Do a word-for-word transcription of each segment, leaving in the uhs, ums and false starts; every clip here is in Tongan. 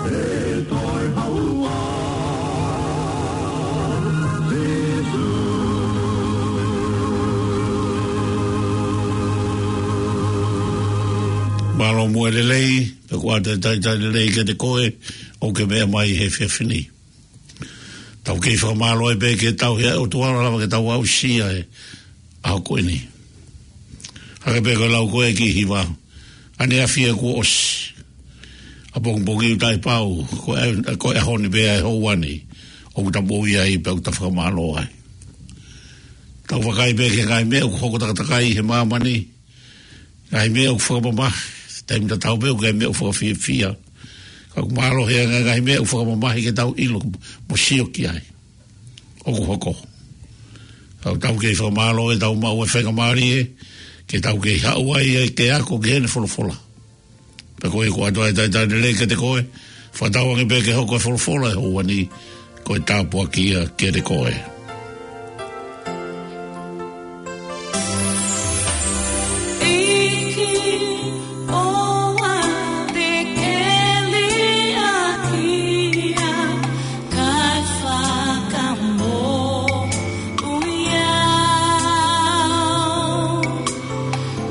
Mālō muʻa e lelei, pea ʻoku ʻoatu e talitali lelei kiate koe ʻoku ke meʻa mai he efiafi ni. Tau kei fakamālō ai pē ki he tauhi ʻa e ʻOtua lava ke tau aʻusia e ʻaho ko eni. Hangē pē ko e lau ko ē ki he hiva, ʻaneafi ia kuo ʻosi. ʻApongipongi ʻoku taʻepau, ko e, ko e ʻaho ni pē ʻa e houa ni ʻoku ta moʻui ai pea ʻoku ta fakamālō ai. Tau vakai pē ki he ngaahi meʻa ʻoku hoko takatakai he māmani, ngaahi meʻa ʻoku fakamamahi, taimi tatau pē ʻoku ʻi ai e meʻa ʻoku fakafiefia. Ka ʻoku mālohi ange e ngaahi meʻa ʻoku fakamamahi ke tau ʻilo mo sio ki ai ʻoku hoko. Ka ʻoku tau kei fakamālō ʻetau maʻu e faingamālie ke tau kei haʻu ai ke ako ki heʻene folofola. Pea ko ia ʻoku ʻoatu ai e talitali lelei kiate koe, fakatauange pē ke hoko e folofola he houa ni ko e tāpuaki ia kiate koe. ʻEiki, ʻoua te ke liʻaki au, kae fakamoʻui au.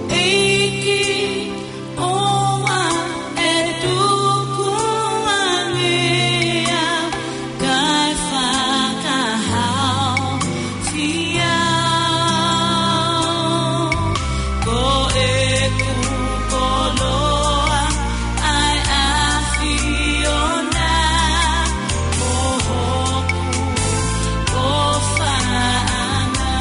ʻEiki, ʻoua ʻe tuku ange au, kae fakahaofi au. Ko ʻeku koloa ʻa e ʻAfiona, mo hoku ʻofaʻanga.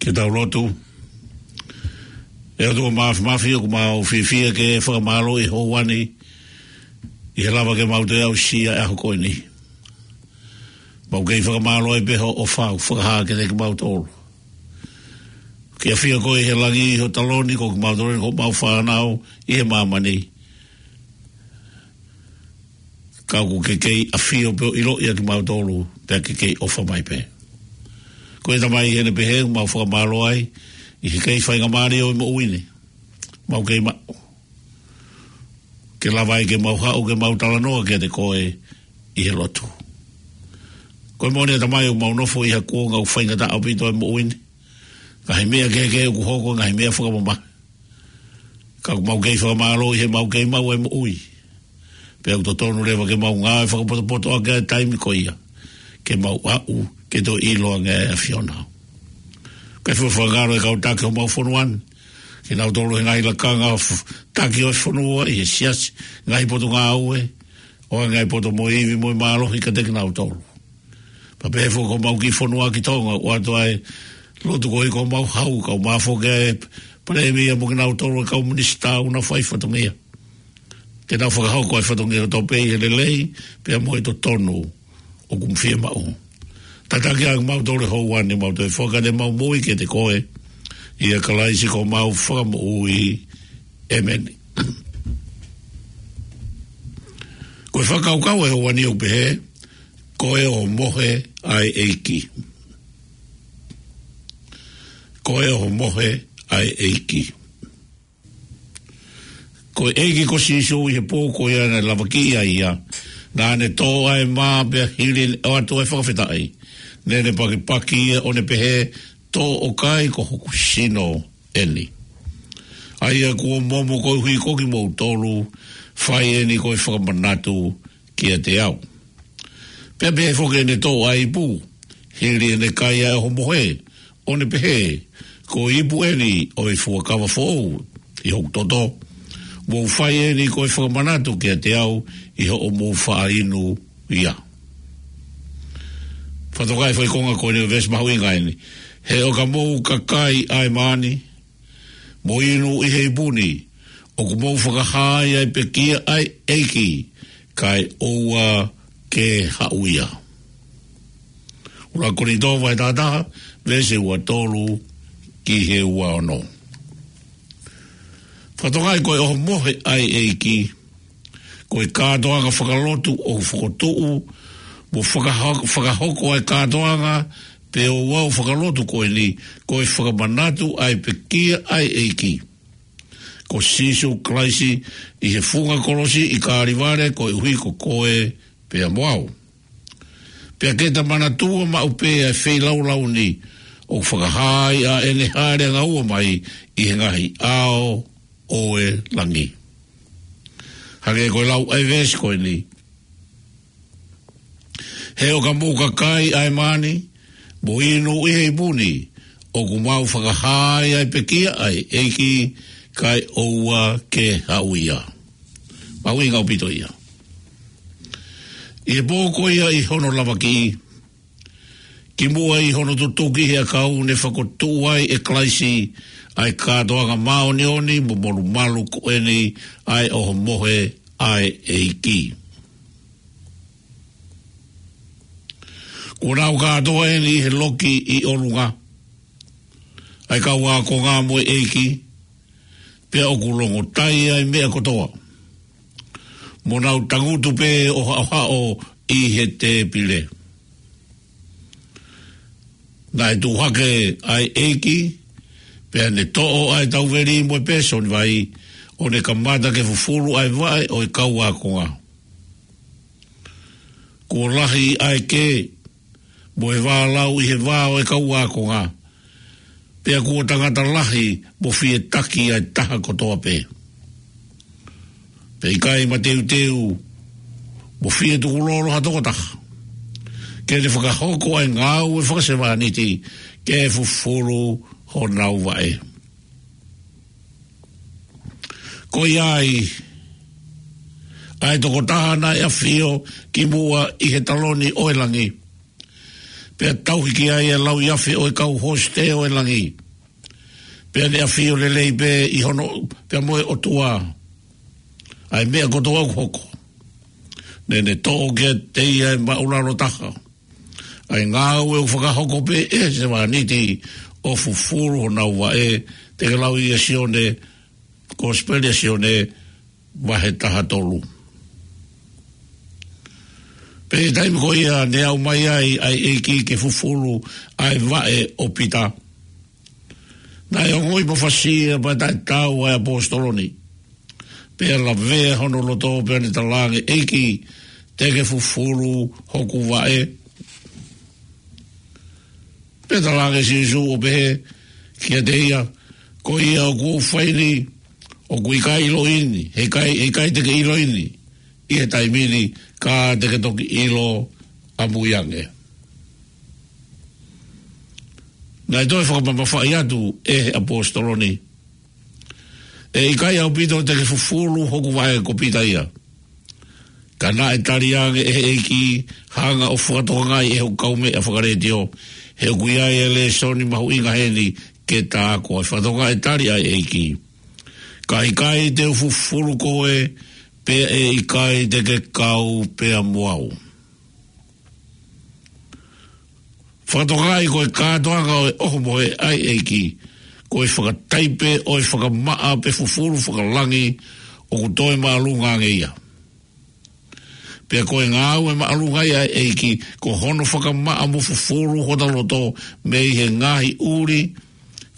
Ke tau lotu. ʻE ʻOtua Māfimafi, ʻoku mau fiefia ke fakamālō ʻi he houa ni, ʻi he lava ke mau toe aʻusia e ʻaho ko eni. Mau kei fakamālō ai pē hoʻo ʻofa ʻoku fakahā kiate kimautolu. Ke ʻafio koe ʻi he langi ʻi ho taloni, ko kimautolu ko homau fānau ʻi he māmani. Ka ʻoku ke kei ʻafio pē ʻo ʻiloʻi ʻa kimautolu, pea ke kei ʻofa mai pē. Ko e Tamai, ʻi heʻene pehē ʻoku mau fakamālō ai, ʻi he kei faingamālie ʻo e moʻui ni. Mau kei maʻu. Ke lava ai ke mau haʻu, ke mau talanoa kiate koe ʻi he lotu. Ko e moʻoni ʻa Tamai ʻoku mau nofo ʻi ha kuonga ʻoku faingataʻa ʻaupito e moʻui ni. Ngaahi meʻa kehekehe ʻoku hoko, ngaahi meʻa fakamamahi. Ka ʻoku mau kei fakamālō ʻi he mau kei maʻu e moʻui. Pea ʻoku totonu leva ke mau ngāue fakapotopoto ʻaki e taimi ko ia. Ke mau aʻu, ke toe ʻilo ange ʻa e ʻAfiona. Kae fua fakangalo e kau taki homau fonua ni. Kinautolu he ngaahi lakanga f-, taki ʻo e fonua ʻi he siasi, ngaahi potungāue, ʻo e ngaahi poto mo e ivi mo e mālohi kiate kinautolu. Pea pehē foki ko homau kiʻi fonua ki Tonga, ʻoatu ai e lotu ko ē ko homau hau, kau mafoke e palēmia mo kinautolu e kau minisitā ʻoku nau fai fatongia. Ke nau fakahoko e fatongia kotoa pē ʻi he lelei, pea mo e totonu ʻoku fiemaʻu. Tataki ʻa kimautolu he houa ni, mau toe foaki ʻemau moʻui kiate koe, ʻia Kalaisi ko homau Fakamoʻui. ʻĒmeni. Ko e fakakaukau e houa ni ʻoku pehē, ko e ʻohomohe ʻa e ʻEiki. Ko e ʻohomohe ʻa e ʻEiki. Ko e ʻEiki ko Sīsū ʻi he pō ko ia naʻe lavakiʻi ai ia, naʻa ne toʻo ʻa e mā pea hili ʻene ʻoatu e fakafetaʻi, naʻa ne pakipaki ia ʻo ne pehē, toʻo ʻo kai, ko hoku sino ʻeni. ʻA ia kuo momo koeʻuhi ko kimoutolu, fai ʻeni ko e fakamanatu kiate au. Pea pehē foki ʻene toʻo ʻa e ipu, hili ʻene kai ʻa e ʻohomohe, ʻo ne pehē, ko e ipu ʻeni ʻo e fuakava foʻou ʻi hoku toto, mou fai ʻeni ko e fakamanatu kiate au ʻi hoʻomou faʻa inu ia. Fakatokangaʻi e foʻi konga ko eni ʻo e veesi mahuʻinga ʻeni. He ʻo ka mou ka kai ʻa e mā ni, mo inu ʻi he ipu ni, ʻoku mou fakahā ai ʻa e pekia ʻa e ʻEiki, kae ʻoua ke haʻu ia. ʻUluaki Kolinitō vahe taha taha, veesi ua tolu ki he ua ono. Fakatokangaʻi ko e ʻohomohe ʻa e ʻEiki, ko e kātoanga fakalotu ʻoku fokotuʻu, mo fakaho-, fakahoko ʻa e kātoanga pe ouau fakalotu ko eni, ko e fakamanatu ʻa e pekia ʻa e ʻEiki ko Sīsū Kalaisi ʻi he funga kolosi ʻi Kalevale koeʻuhi ko koe pea mo au. Pea ke ta manatua maʻu pē ʻa e feilaulau ni, ʻoku fakahā ai ʻa ʻene hāʻele angaua mai ʻi he ngaahi ʻao ʻo e langi. Hangē ko e lau ʻa e veesi ko eni. He ʻo ka mou ka kai ʻa e mā ni, mo inu ʻi he ipu ni, ʻoku mau fakahā ai ʻa e pekia ʻa e ʻEiki, kae ʻoua ke haʻu ia. Mahuʻinga ʻaupito ia. ʻI he pō ko ia ʻi hono lavakiʻi, kimuʻa ʻi hono tutuki he ʻakau, ne fokotuʻu ai ʻe Kalaisi ʻa e kātoanga māʻoniʻoni mo molumalu ko eni, ʻa e ʻohomohe ʻa e ʻEiki. Kuo nau kātoa ʻeni ʻi he loki ʻi ʻolunga, ʻa e kau ākonga mo e ʻEiki, pea ʻoku longotai ʻa e meʻa kotoa, mo nau tangutu pē ʻo haʻohaʻo ʻi he tēpile. Naʻe tuʻu hake ʻa e ʻEiki, pea ne toʻo ʻa e tauveli mo e pēsoni vai, ʻo ne kamata ke fufulu ʻa e vaʻe ʻo e kau ākonga. Kuo lahi ʻa e kē, mo e vālau ʻi he vā ʻo e kau ākonga, pea kuo tangata lahi mo fietaki ʻa e taha kotoa pē. Pea ʻikai mateuteu mo fie tukulolo ha tokotaha, ke ne fakahoko ʻa e ngāue fakasevāniti, ke fufulu honau vaʻe. Ko ia ai, ʻa e tokotaha naʻe ʻafio kimuʻa ʻi he taloni ʻo e langi, pea tauhi ki ai ʻa e lauiafe ʻo e kau hosite ʻo e langi. Pea ne ʻafio lelei pē ʻi hono, pea mo e ʻOtua, ʻa e meʻa kotoa ʻoku hoko. Naʻa ne toʻo kiate ia ʻe māʻulalo taha ʻa e ngāue ʻoku fakahoko pē ʻe he sevāniti ʻo fufulu honau vaʻe. Te ke lau ia Sione, Kosipeli ʻa Sione, vahe taha tolu. Pea ʻi he taimi ko ia ne aʻu mai ai ʻa e ʻEiki ke fufulu ʻa e vaʻe ʻo Pita, naʻe ongoʻi mafasia pea taʻetaau ʻa e ʻaposetolo ni. Pea lavea hono loto pea ne talaange, ʻEiki, te ke fufulu hoku vaʻe? Pea talaange ʻe Sīsū ʻo pehē kiate ia, ko ia ʻoku ou fai ni, ʻoku ʻikai ʻiloʻi ni, heʻikai, heʻikai te ke ʻiloʻi ni ʻi he taimi ni, ka te ke toki ʻilo ʻamui ange. Naʻe toe fakamamafaʻi atu ʻe he ʻaposetolo ni, ʻE ʻikai ʻaupito te ke fufulu hoku vaʻe, ko Pita ia. Ka naʻe tali ange ʻe he ʻEiki, hanga ʻo fakatokangaʻi ʻe hoku kaumeʻa fakalētio, he ʻoku ʻi ai e lēsoni mahuʻinga heni ke ta ako ai. Fakatokangaʻi e tali ʻa e ʻEiki. Ka ʻikai te u fufulu koe, pea ʻe ʻikai te ke kau pea mo au. Fakatokangaʻi ko e kātoanga ʻo e ʻohomohe ʻa e ʻEiki, ko e fakataipe ʻo e fakamaʻa pe fufulu fakalangi ʻoku toe māʻolunga ange ia. Pea ko e ngāue māʻolunga ia ʻa e ʻEiki, ko hono fakamaʻa mo fufulu hota loto mei he ngaahi ʻuli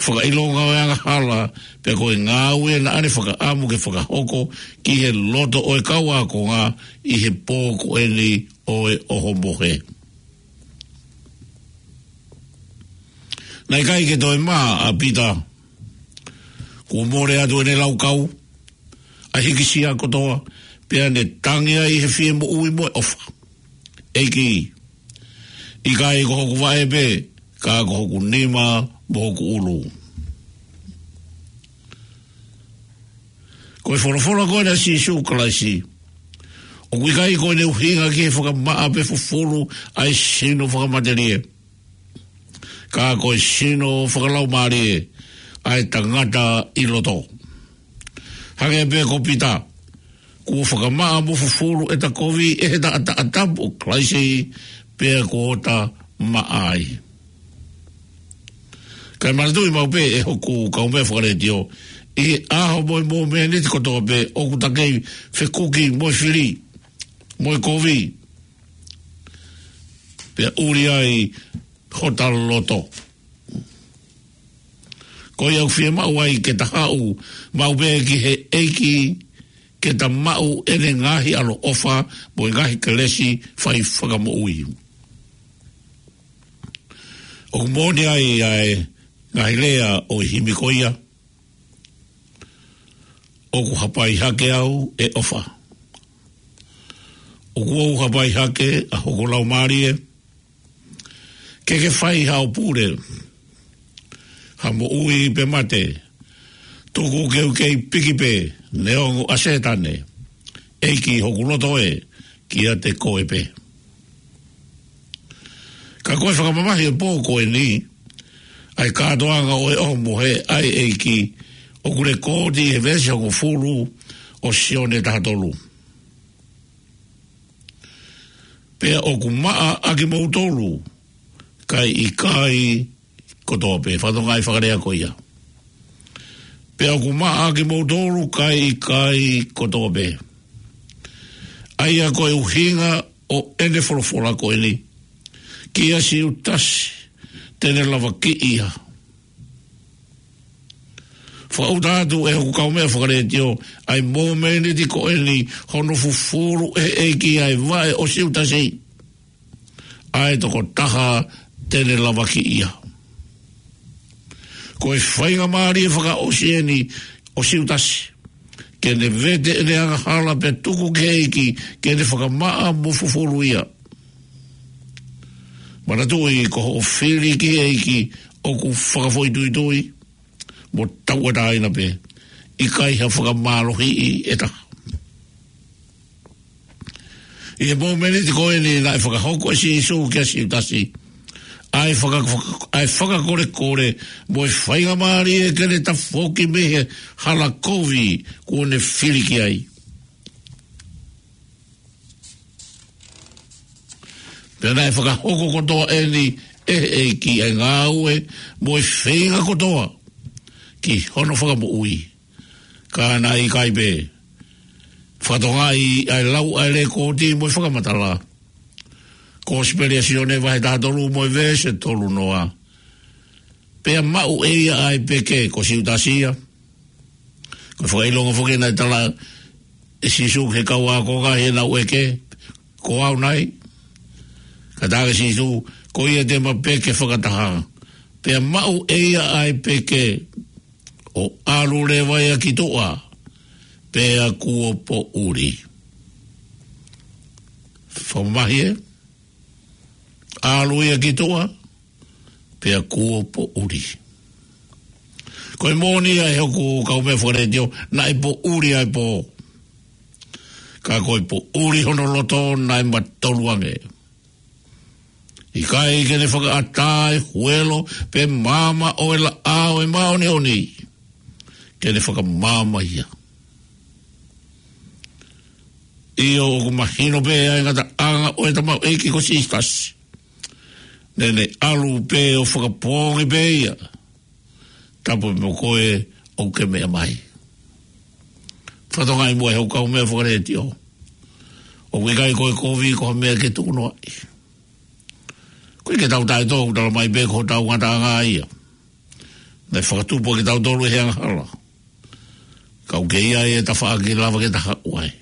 fakaʻilonga ʻo e angahala, pea ko e ngāue naʻa ne fakaʻamu ke fakahoko ki he loto ʻo e kau ākonga ʻi he pō ko eni ʻo e ʻohomohe. Naʻe ʻikai ke toe mā ʻa Pita. Kuo mole atu ʻene laukau, ʻa e hīkisia kotoa, pea ne tangi ai he fie moʻui mo e ʻofa. ʻEiki, ʻikai ko hoku vaʻe pē, ka ko hoku nima mo hoku ʻulu. Ko e folofola ko ena ʻa Sīsū Kalaisi, ʻoku ʻikai ko ʻene ʻuhinga ki he fakamaʻa pe fufulu ʻa e sino fakamatelie, ka ko e sino fakalaumālie ʻa e tangata ʻi loto. Hangē pē ko Pita, kuo fakamaʻa mo fufulu ʻeta kovi ʻe he taʻataʻa tapu ʻo Kalaisi, pea kuo ta maʻa ai. Kae manatuʻi maʻu pē ʻe hoku kaumeʻa fakalētio, ʻi he ʻaho mo e mōmeniti kotoa pē ʻoku ta kei fekuki mo e fili, mo e kovi, pea ʻuli ai hota loto. Ko ia ʻoku fiemaʻu ai ke ta haʻu maʻu pē ki he ʻEiki, ke ta maʻu ʻene ngaahi ʻaloʻofa mo e ngaahi kelesi fai fakamoʻui. ʻOku moʻoni ai ʻa e ngaahi lea ʻo e himi ko ia, ʻOku hapai hake au ʻe ʻofa. ʻOku ou hapai hake ʻa hoku laumālie, ke ke fai haʻo pule, ha moʻui pe mate, tuku ke u kei piki pē, neongo ʻa Sētane, ʻEiki hoku loto ē, kiate koe pē. Ka ko e fakamamahi ʻo e pō ko eni, ʻa e kātoanga ʻo e ʻohomohe ʻa e ʻEiki, ʻoku lekooti he veesi hongofulu ʻo Sione taha tolu. Pea ʻoku maʻa ʻa kimoutolu, kae ʻikai kotoa pē. Fakatokangaʻi e fakalea ko ia. Pea ʻoku maʻa ʻa kimoutolu, kae ʻikai kotoa pē. ʻA ia ko e ʻuhinga ʻo ʻene folofola ko eni kia Siutasi, te ne lavakiʻi ia. Fakaʻuta atu ʻe hoku kaumeʻa fakalētio, ʻa e mōmeniti ko eni hono fufulu ʻe he ʻEiki ʻa e vaʻe ʻo Siutasi, ʻa e tokotaha te ne lavakiʻi ia. Ko e faingamālie fakaʻosi eni ʻo Siutasi, ke ne vete ʻene angahala pea tuku ki he ʻEiki ke ne fakamaʻa mo fufulu ia. Manatuʻi ko hoʻo fili ki he ʻEiki ʻoku fakafoʻituitui mo tauʻatāina pē. ʻIkai ha fakamālohiʻi ʻe taha. ʻI he mōmeniti ko eni naʻe fakahoko ʻe Sīsū kia Siutasi ʻa e faka-, faka-, ʻa e fakakolekole mo e faingamālie ke ne tafoki mei he hala kovi kuo ne fili ki ai. Pea naʻe fakahoko kotoa ʻeni ʻe he ʻEiki ʻa e ngāue mo e feinga kotoa ki hono fakamoʻui. Ka naʻe ʻikai pē fakatokangaʻi ʻa e lau ʻa e lekooti mo e fakamatala. Kosipeli ʻa Sione vahe taha tolu mo e veesi tolu noa. Pea maʻu ʻe ia ʻa e peke, ko Siutasi ia. Ko e fakaʻilonga foki naʻe tala ʻe Sīsū ki he kau ākonga heʻenau ʻeke, ko au nai? Ka tala ʻe Sīsū, ko ia te ma peke fakataha. Pea maʻu ʻe ia ʻa e peke, ʻo ʻalu leva ia ki tuʻa, pea kuo poʻuli. Fakamamahi ē? ʻAlu ia ki tuʻa, pea kuo poʻuli. Ko e moʻoni ia ʻe hoku kaumeʻa fakaletiō, naʻe poʻuli ʻa e pō. Ka ko e poʻuli hono loto naʻe matolu ange. ʻIkai ke ne fakaʻatā e huelo pe maama ʻo e laʻā ʻo e māʻoniʻoni, ke ne fakamaama ia. ʻIo, ʻoku mahino pē ʻa e ngataʻanga ʻo e tamaioʻeiki ko Sīsū Kalaisi. Naʻa ne ʻalu pē ʻo fakapoongi pē ia. Tapu mo koe ʻoku ke meʻa mai. Fakatokangaʻi muʻa ʻe hoku kaumeʻa fakaletiō, ʻoku ʻikai ko e kovi ko ha meʻa ke tuku noaʻi. Ko e ke tau taʻetō, ʻoku tala mai pē ko hotau ngataʻanga ia. Naʻe fakatupu kitautolu ʻe he angahala. Ka ʻoku kei ʻi ai e tafaʻaki lava ke ta haʻu ai.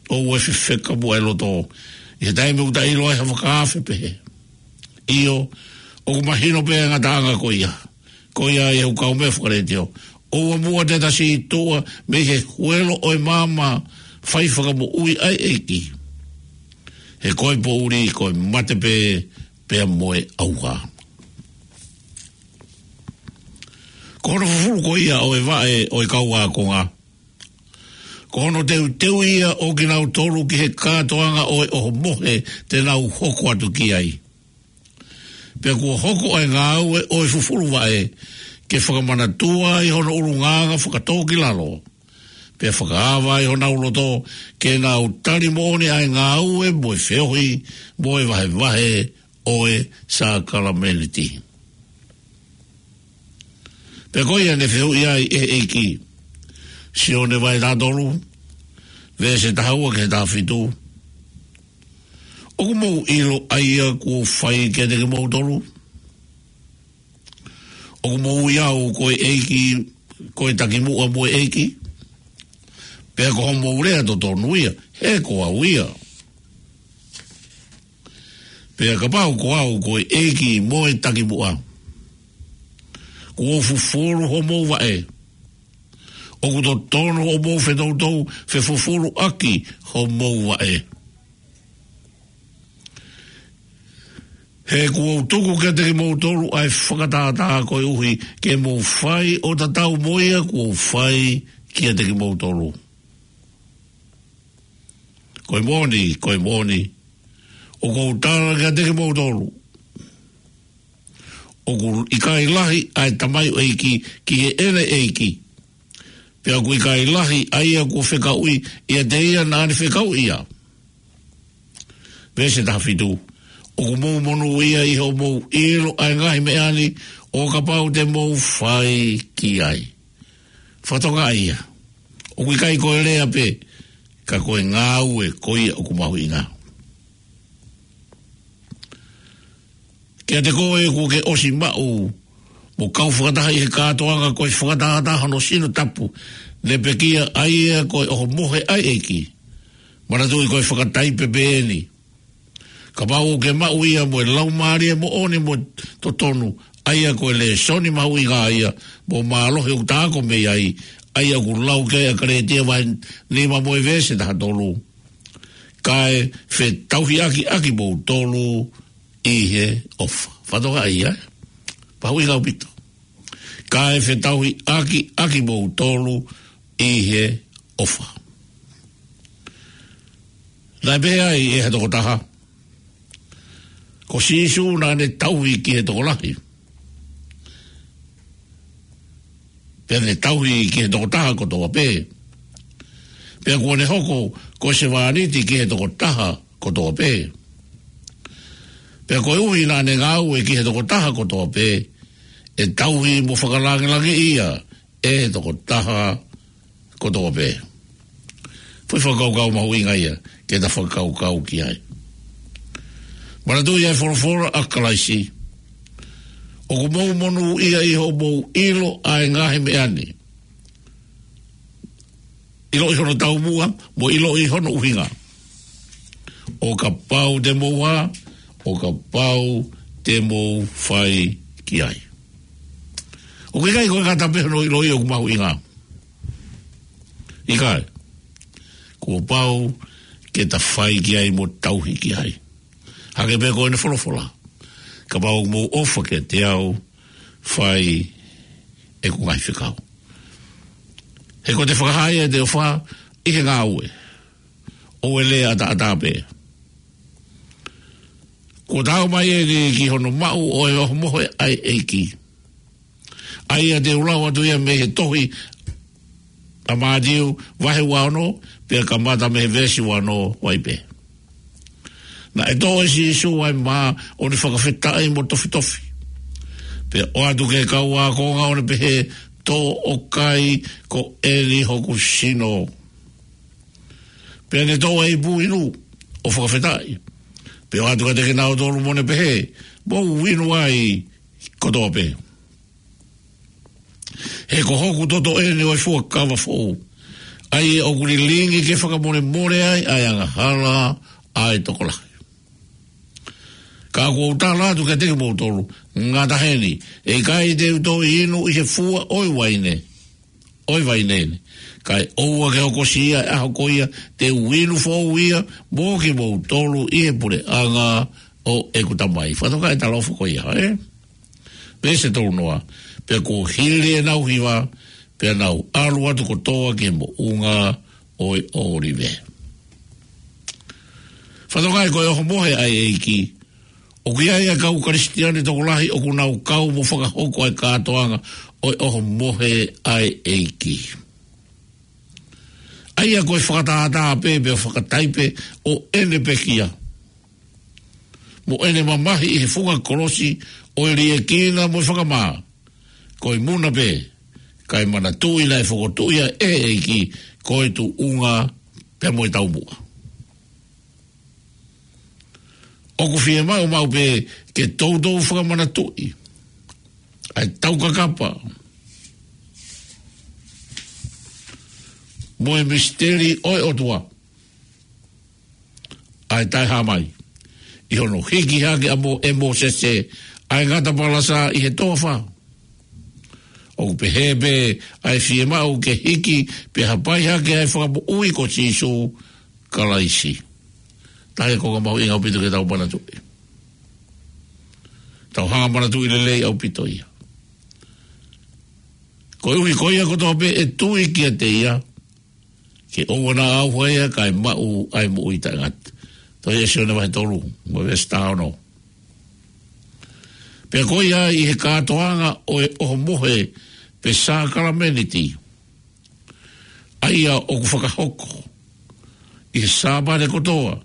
ʻOua ʻe fefeka muʻa e loto ʻi he taimi ʻoku ta ʻilo ai ha fakaafe pehē. ʻIo, ʻoku mahino pē ʻa e ngataʻanga ko ia. Ko ia ʻe hoku kaumeʻa fakaletiō, ʻoua muʻa te ta sītuʻa mei he huelo ʻo e maama fai fakamoʻui ʻa e ʻEiki. He ko e poʻuli ko e mate pē, pea mo e ʻauha. Ko hono fufulu ko ia ʻo e vaʻe ʻo e kau ākonga, ko hono teuteu ia ʻo kinautolu ki he kātoanga ʻo e ʻohomohe te nau hoko atu ki ai. Pea kuo hoko ʻa e ngāue ʻo e fufulu vaʻe ke fakamanatua ai hono ʻulungaanga fakatōkilalo, pea fakaava ai honau loto ke nau tali moʻoni ʻa e ngāue mo e feohi mo e vahevahe ʻo e sākalamēniti. Pea ko ia ne fehuʻi ai ʻe he ʻEiki, Sione vahe taha tolu, veesi taha ua ki he taha fitu. ʻOku mou ʻilo ʻa ia kuo u fai kiate kimoutolu? ʻOku mou ui au ko e ʻEiki, ko e takimuʻa mo e ʻEiki? Pea ko hoʻomou lea totonu ia, he ko au ia. Pea kapau ko au ko e ʻEiki mo e takimuʻa, kuo u fufulu hoʻomou vaʻe, ʻoku totonu hoʻomou fetoutou fefufuluʻaki hoʻomou vaʻe. He kuo u tuku kiate kimoutolu ʻa e fakatātā koeʻuhi ke mou fai ʻo tatau mo ia kuo u fai kiate kimoutolu. Ko e moʻoni, ko e moʻoni, ʻoku ou tala kiate kimoutolu, ʻoku ʻikai lahi ʻa e tamaioʻeiki ki heʻene ʻeiki, pea ʻoku ʻikai lahi ʻa ia kuo fekauʻi ʻiate ia naʻa ne fekauʻi ia. Veesi taha fitu. ʻOku mou monūʻia ʻi hoʻomou ʻilo ʻa e ngaahi meʻa ni, ʻo kapau te mou fai ki ai. Fakatokangaʻi ia, ʻoku ʻikai ko e lea pē, ka ko e ngāue ko ia ʻoku mahuʻinga. Kiate koe kuo ke ʻosi maʻu mo kau fakataha ʻi he kātoanga ko e fakatātā hono sino tapu, ne pekia ʻa ia ko e ʻohomohe ʻa e ʻEiki. Manatuʻi ko e fakataipe pē ʻeni. Kapau ʻoku ke maʻu ia mo e laumālie moʻoni mo totonu, ʻa ia ko e lēsoni mahuʻinga ia mo mālohi ʻoku ta ako mei ai, ʻa ia ʻoku lau ki ai ʻa Kalētia vahe nima mo e veesi taha tolu. Kae fetauhiʻaki ʻaki moutolu ʻi he ʻofa. Fakatokangaʻi ia, ē? Mahuʻinga ʻaupito. Kae fetauhiʻaki ʻaki moutolu ʻi he ʻofa. Naʻe pehē ai ʻe ha tokotaha, ko Sīsū naʻa ne tauhi ki he tokolahi, pea ne tauhi ki he tokotaha kotoa pē. Pea kuo ne hoko ko e sevāniti ki he tokotaha kotoa pē. Pea koeʻuhi naʻa ne ngāue ki he tokotaha kotoa pē, ʻe tauhi mo fakalāngilangiʻi ia ʻe he tokotaha kotoa pē. Foʻi fakakaukau mahuʻinga ia ke ta fakakaukau ki ai. Manatuʻi ʻa e folofola ʻa Kalaisi: ʻOku mou monūʻia ʻi hoʻomou ʻilo ʻa e ngaahi meʻa ni, ʻiloʻi hono taumuʻa, mo ʻiloʻi hono ʻuhinga, ʻo kapau te mou hā, ʻo kapau te mou fai ki ai. ʻOku ʻikai ko e ngata pē hono ʻiloʻi ʻoku mahuʻinga. ʻIkai. Kuo pau ke ta fai ki ai mo tauhi ki ai. Hangē pē ko ʻene folofola: Kapau ʻoku mou ʻofa kiate au, fai ʻeku ngaahi fekau. He ko ʻete fakahā ia ʻete ʻofa ʻi he ngāue, ʻoua ʻe lea ʻataʻatā pē. Kuo ta aʻu mai eni ki hono maʻu ʻo e ʻohomohe ʻa e ʻEiki, ʻa ia te u lau atu ia mei he tohi ʻa Mātiu vahe ua ono, pea kamata mei he veesi ua ono, ʻoku pehē: Naʻe toʻo ʻe Sīsū ʻa e mā, ʻo ne fakafetaʻi mo tofitofi, pea ʻoatu ki he kau ākonga, ʻo ne pehē: Tō ʻo kai, ko eni hoku sino. Pea ne toʻo ʻa e ipu inu, ʻo fakafetaʻi, pea ʻoatu kiate kinautolu, mo ne pehē: Mou inu ai kotoa pē. He ko hoku toto eni ʻo e fuakava foʻou, ʻa ia ʻoku lilingi ke fakamolemole ai ʻa e angahala ʻa e tokolahi. Ka ʻoku ou tala atu kiate kimoutolu, ngata heni, ʻe ʻikai te u toe inu ʻi he fua ʻo e uaine ʻo e vaine ni, kae ʻoua ke hokosia ʻa e ʻaho ko ia te u inu foʻou ia mo kimoutolu ʻi he puleʻanga ʻo ʻeku Tamai. Fakatokangaʻi e talaʻofa ko ia, ē? Veesi tolu noa: Pea kuo hili ʻenau hiva, pea nau ʻalu atu kotoa ki he moʻunga ʻo e ʻŌlive. Fakatokangaʻi ko e ʻohomohe ʻa e ʻEiki, ʻoku ʻi ai ʻa e kau Kalisitiane tokolahi ʻoku nau kau mo fakahoko ʻa e kātoanga ʻo e ʻohomohe ʻa e ʻEiki, ʻa ia ko e fakatātā pē, pea fakataipe ʻo ʻene pekia, mo ʻene mamahi ʻi he funga kolosi, ʻo e liʻekina mo e fakamā, ko e muna pē, kae manatuʻi naʻe fokotuʻu ia ʻe he ʻEiki ko e tuʻunga pea mo e taumuʻa. ʻOku fiemaʻu maʻu pē ke toutou fakamanatuʻi ʻa e taukakapa mo e misiteli ʻo e ʻOtua, ʻa e taʻehāmai, ʻi hono hiki hake ʻa Mō-, ʻe Mōsese ʻa e ngata palasa ʻi he toafa. ʻOku pehē pē ʻa e fiemaʻu ke hiki pea hapai hake ʻa e Fakamoʻui ko Sīsū Kalaisi. Taha e konga mahuʻinga ʻaupito ke tau manatuʻi. Tau hanga manatuʻi lelei ʻaupito ia. Koeʻuhi ko ia kotoa pē ʻe tui kiate ia, ke ʻoua naʻa ʻauha ia kae maʻu ʻa e moʻui taʻengata. Tohi ʻa Sione vahe tolu, mo e veesi taha ono. Pea ko ia ʻi he kātoanga ʻo e ʻohomohe pe sākalamēniti, ʻa ia ʻoku fakahoko ʻi he Sāpate kotoa.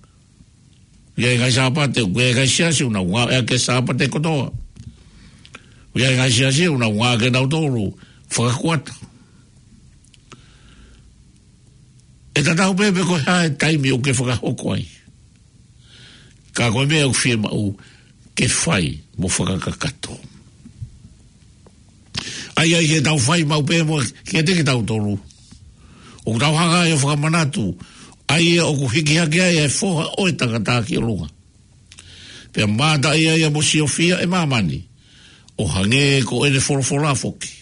ʻI he ngaahi Sāpate, ʻoku ʻi ai e ngaahi siasi ʻoku nau ngāueʻaki e Sāpate kotoa. ʻOku ʻi ai e ngaahi siasi ʻoku nau ngāueʻaki ʻenautolu fakakuata. ʻE tatau pē pe ko e hā e taimi ʻoku ke fakahoko ai, ka ko e meʻa ʻoku fiemaʻu ke fai mo fakakakato. ʻA ia ʻi heʻetau fai maʻu pē mo kiate kitautolu, ʻoku tau hanga ai ʻo fakamanatu ʻa ia ʻoku hiki hake ai ʻa e Foha ʻo e tangata ki ʻolunga, pea mātaʻi ai ʻa e mosiofia ʻe māmani, ʻo hangē ko ʻene folofola foki: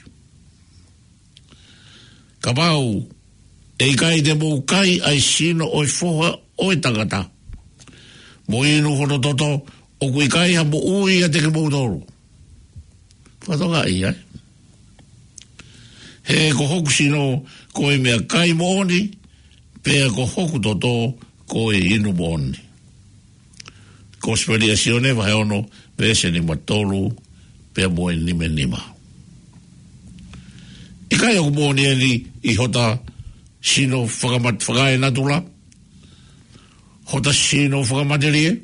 Kapau ʻe ʻikai te mou kai ʻa e sino ʻo e Foha ʻo e tangata, mo inu hono toto, ʻoku ʻikai ha moʻui ʻiate kimoutolu. Fakatokangaʻi, ē? He ko hoku sino ko e meʻakai moʻoni, pea ko hoku toto ko e inu moʻoni. Kosipeli ʻa Sione vahe ono, veesi nima tolu pea mo e nima nima. ʻIkai ʻoku moʻoni eni ʻi hota sino fakamat-, fakaenatula, hota sino fakamatelie?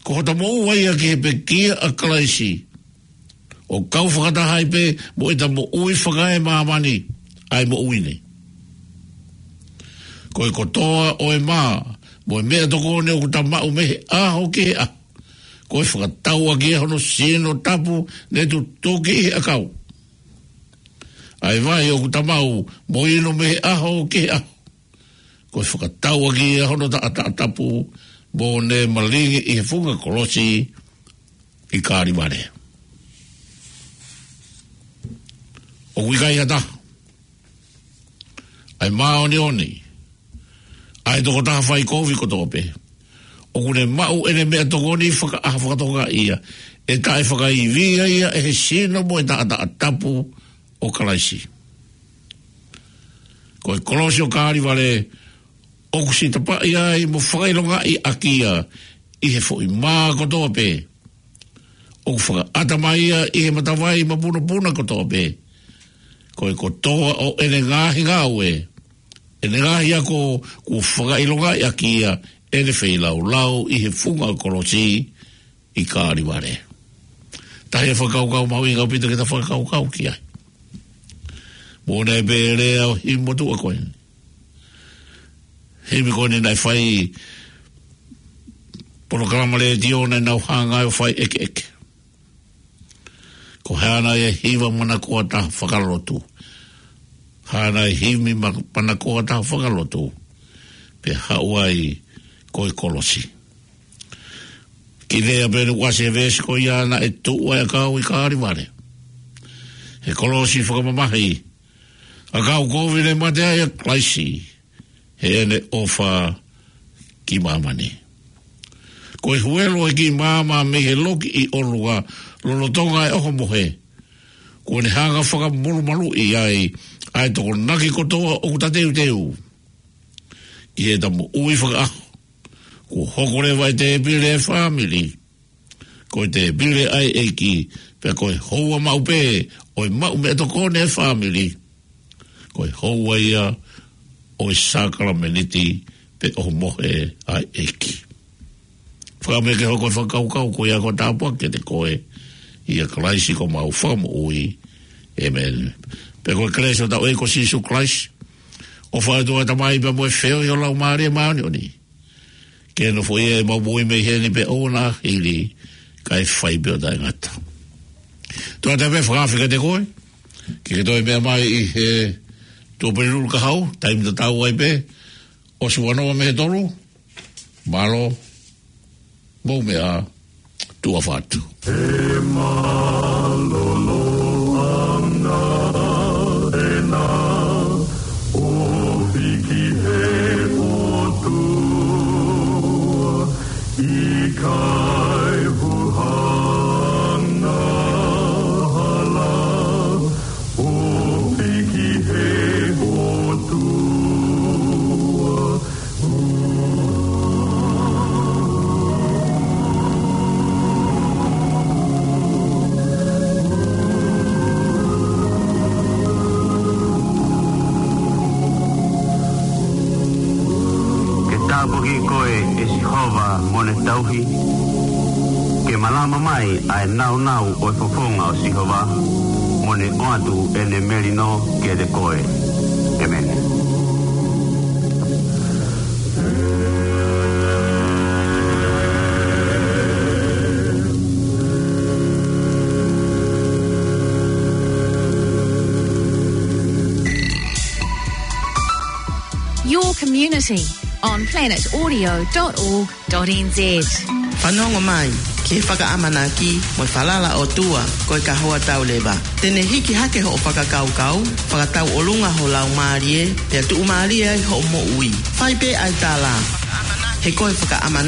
Ko hota moʻua ia ki he pekia ʻa Kalaisi, ʻo kau fakataha ai pē mo ʻeta moʻui fakaemāmani, ʻa e moʻui ni. Ko e kotoa ʻo e mā mo e meʻatokoni ʻoku ta maʻu mei he ʻaho ki he ʻaho, ko e fakatau ʻaki ia hono sino tapu ne tutuki ʻi he ʻakau. ʻA e vai ʻoku ta maʻu mo inu mei he ʻaho ki he ʻaho, ko e fakatau ʻaki ia hono taʻataʻa tapu, mo ne malingi ʻi he funga kolosi ʻi Kalevale. ʻOku ʻikai ha taha, ʻa e māʻoniʻoni, ʻa e tokotaha faikovi kotoa pē, ʻoku ne maʻu ʻene meʻatokoni fakaʻaho fakatokangaʻi ia, ʻe taʻefakaivia ia ʻe he sino mo e taʻataʻa tapu ʻo Kalaisi. Ko e kolosi ʻo Kalevale ʻoku sitapaʻi ai mo fakaʻilongaʻi ʻaki ia ʻi he foʻi mā kotoa pē, ʻoku fakaʻata mai ia ʻi he matavai mapunopuna kotoa pē. Ko e kotoa ʻo ʻene ngaahi ngāue, ʻene ngaahi ako, kuo fakaʻilongaʻi ʻaki ia ʻene feilaulau ʻi he funga kolosi ʻi Kalevale. Tahi e fakakaukau mahuʻinga ʻaupito ke ta fakakaukau ki ai. Mo ʻene pehē ʻa e himi motuʻa ko eni. Himi ko eni naʻe fai polokalama letiō naʻa nau hanga ʻo fai ʻekeʻeke. Ko e hā nai e hiva manakoa taha fakalotu, hā nai e himi ma-, manakoa taha fakalotu, pea haʻu ai ko e kolosi. Kiʻi lea pē ʻoku ʻasi he veesi ko ia naʻe tuʻu ai ʻa e ʻakau ʻi Kalevale. He kolosi fakamamahi, ʻakau kovi ne mate ai ʻa Kalaisi heʻene ʻofa ki māmani. Ko e huelo ʻa e kiʻi maama mei he loki ʻi ʻolunga lolotonga e ʻohomohe, kuo ne hanga fakamolumaluʻi ai ʻa e tokonaki kotoa ʻoku ta teuteu ki heʻeta moʻui fakaʻaho. Kuo hoko leva e tēpile e fāmili ko e tēpile ʻa e ʻEiki, pea ko e houa maʻu pē ʻo e maʻu meʻatokoni e fāmili, ko e houa ia ʻo e sākalamēniti pe ʻohomohe ʻa e ʻEiki. Fakaʻamu ke hoko e fakakaukau ko ia ko e tāpuaki kiate koe ʻia Kalaisi ko homau Fakamoʻui. ʻĒmeni. Pea ko e kelesi ʻa hotau ʻEiki ko Sīsū Kalaisi, ʻofa ʻa e ʻOtua ko e Tamai pea mo e feohi ʻo e Laumālie Māʻoniʻoni, ke nofoʻia ʻemau moʻui mei heni pea ʻo aʻu ki he ʻaho ʻe ʻikai fai pē ʻo taʻengata. Tuʻa atu pē fakaafe kiate koe ke ke toe meʻa mai ʻi he Tuʻapulelulu kahaʻu, taimi tatau ai pē, ʻosi ua noa mei he tolu. Mālō, mou meʻa, tuʻa ʻofa atu. He mālōlō ʻanga ʻena ʻofi ki he ʻOtua, ʻikai huhanga hala ʻofi ki he ʻOtua. Ke tāpuakiʻi koe ʻe Sihova mo ne tauhi, ke malama mai ʻa e nāunau ʻo e fofonga ʻo Sihova, mo ne ʻoatu ʻene melino kiate koe. ʻĒmeni. Your community on planet audio dot org dot N Z. Fanongo mai ki he fakaʻamanaki mo e falala ʻOtua ko e kahoa tau leva. Te ne hiki hake hoʻo fakakaukau, fakatauʻolunga ho laumālie, pea tuʻumālie ai hoʻo moʻui. Fai pē ʻa e tala, he ko e fakaʻamanaki